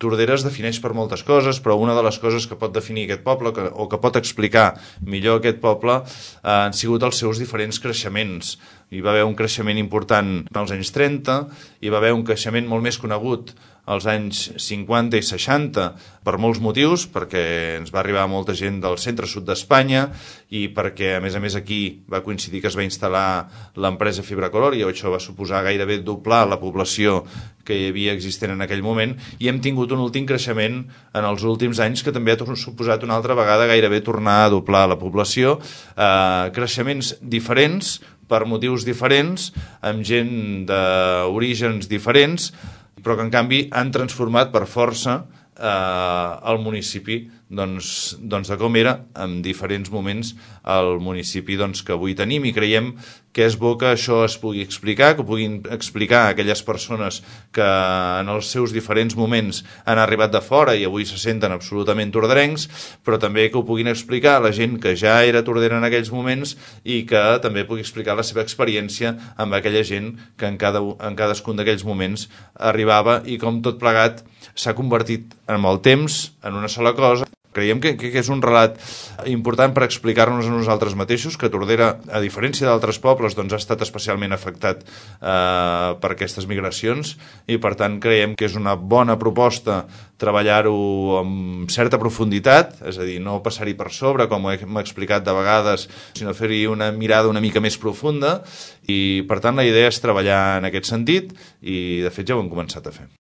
Tordera es defineix per moltes coses, però una de les coses que pot definir aquest poble o que pot explicar millor aquest poble han sigut els seus diferents creixements. Hi va haver un creixement important als anys 30, hi va haver un creixement molt més conegut als anys 50 i 60 per molts motius, perquè ens va arribar molta gent del centre-sud d'Espanya i perquè, a més, aquí va coincidir que es va instal·lar l'empresa Fibracolor i això va suposar gairebé doblar la població que hi havia existent en aquell moment, i hem tingut un últim creixement en els últims anys que també ha suposat una altra vegada gairebé tornar a doblar la població, creixements diferents per motius diferents, amb gent d'orígens diferents, però que en canvi han transformat per força el municipi de com era en diferents moments el municipi que avui tenim, i creiem que és bo que això es pugui explicar, que ho puguin explicar aquelles persones que en els seus diferents moments han arribat de fora i avui se senten absolutament torderencs, però també que ho puguin explicar a la gent que ja era tordera en aquells moments i que també pugui explicar la seva experiència amb aquella gent que en cadascun d'aquells moments arribava i com tot plegat s'ha convertit amb el temps en una sola cosa. Creiem que és un relat important per explicar-nos a nosaltres mateixos, que Tordera, a diferència d'altres pobles, ha estat especialment afectat per aquestes migracions, i per tant creiem que és una bona proposta treballar-ho amb certa profunditat, és a dir, no passar-hi per sobre, com hem explicat de vegades, sinó fer-hi una mirada una mica més profunda, i per tant la idea és treballar en aquest sentit, i de fet ja ho hem començat a fer.